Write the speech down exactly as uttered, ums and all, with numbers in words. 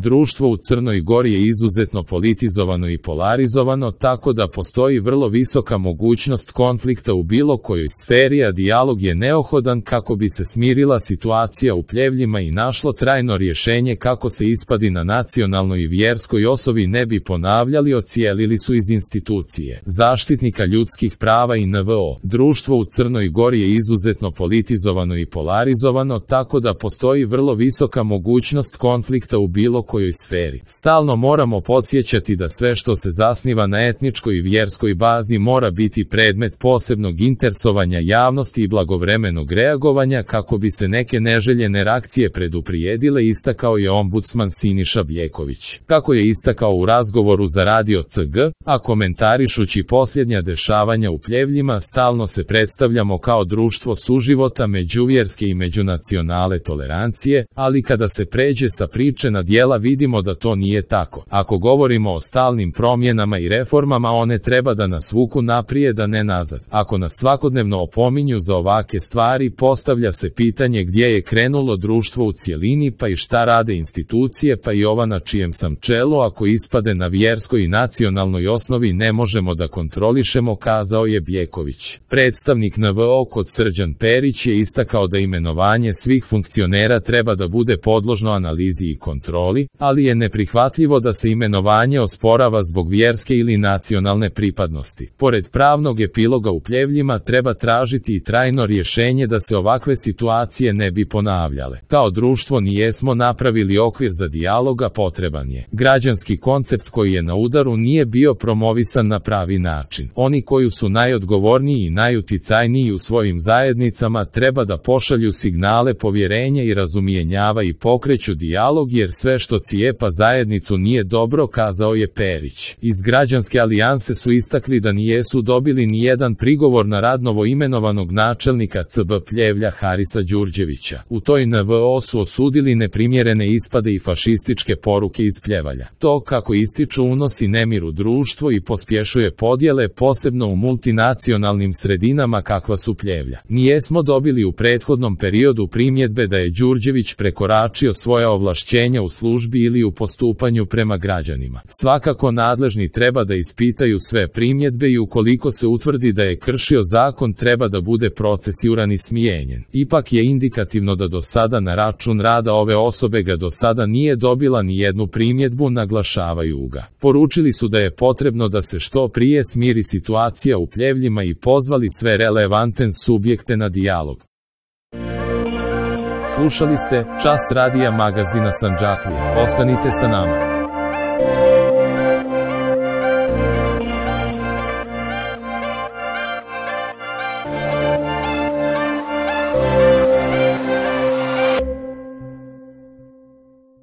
Društvo u Crnoj Gori je izuzetno politizovano i polarizovano, tako da postoji vrlo visoka mogućnost konflikta u bilo kojoj sferi, a dijalog je neophodan kako bi se smirila situacija u Pljevljima i našlo trajno rješenje kako se ispadi na nacionalnoj i vjerskoj osnovi ne bi ponavljali, ocijelili su iz institucije zaštitnika ljudskih prava i N V O. Društvo u Crnoj Gori je izuzetno politizovano i polarizovano, tako da postoji vrlo visoka mogućnost konflikta u bilo kojoj sferi. Stalno moramo podsjećati da sve što se zasniva na etničkoj i vjerskoj bazi mora biti predmet posebnog interesovanja javnosti i blagovremenog reagovanja kako bi se neke neželjene reakcije preduprijedile, istakao je ombudsman Siniša Bjeković. Kako je istakao u razgovoru za radio C G, a komentarišući posljednja dešavanja u Pljevljima, stalno se predstavljamo kao društvo suživota, međuvjerske i međunacionalne tolerancije, ali kada se pređe sa priče na djela vidimo da to nije tako. Ako govorimo o stalnim promjenama i reformama, one treba da nas vuku naprijed, a ne nazad. Ako nas svakodnevno opominju za ovake stvari, postavlja se pitanje gdje je krenulo društvo u cjelini, pa i šta rade institucije, pa i ova na čijem sam čelu. Ako ispade na vjerskoj i nacionalnoj osnovi ne možemo da kontrolišemo, kazao je Bjeković. Predstavnik N V O kod Srđan Perić je istakao da imenovanje svih funkcionera treba da bude podložno analizi i kontroli, ali je neprihvatljivo da se imenovanje osporava zbog vjerske ili nacionalne pripadnosti. Pored pravnog epiloga u Pljevljima treba tražiti i trajno rješenje da se ovakve situacije ne bi ponavljale. Kao društvo nijesmo napravili okvir za dijaloga, potreban je građanski koncept koji je na udaru, nije bio promovisan na pravi način. Oni koji su najodgovorniji i najuticajniji u svojim zajednicama treba da pošalju signale povjerenja i razumijenjava i pokreću dijalog, jer sve što cijepa zajednicu nije dobro, kazao je Perić. Iz Građanske alijanse su istakli da nijesu dobili ni jedan prigovor na rad novoimenovanog načelnika C B Pljevlja Harisa Đurđevića. U toj N V O su osudili neprimjerene ispade i fašističke poruke iz Pljevalja. To, kako ističu, unosi nemir u društvo i pospješuje podjele, posebno u multinacionalnim sredinama kakva su Pljevlja. Nijesmo dobili u prethodnom periodu primjedbe da je Đurđević prekoračio svoja ovlašćenja u službi ili u postupanju prema građanima. Svakako nadležni treba da ispitaju sve primjedbe i ukoliko se utvrdi da je kršio zakon treba da bude procesuiran i smijenjen. Ipak je indikativno da do sada na račun rada ove osobe ga do sada nije dobila ni jednu primjedbu, naglašavaju ga. Poručili su da je potrebno da se što prije smiri situacija u Pljevljima i pozvali sve relevantne subjekte na dijalog. Slušali ste Čas radija magazina Sandžaklija. Ostanite sa nama.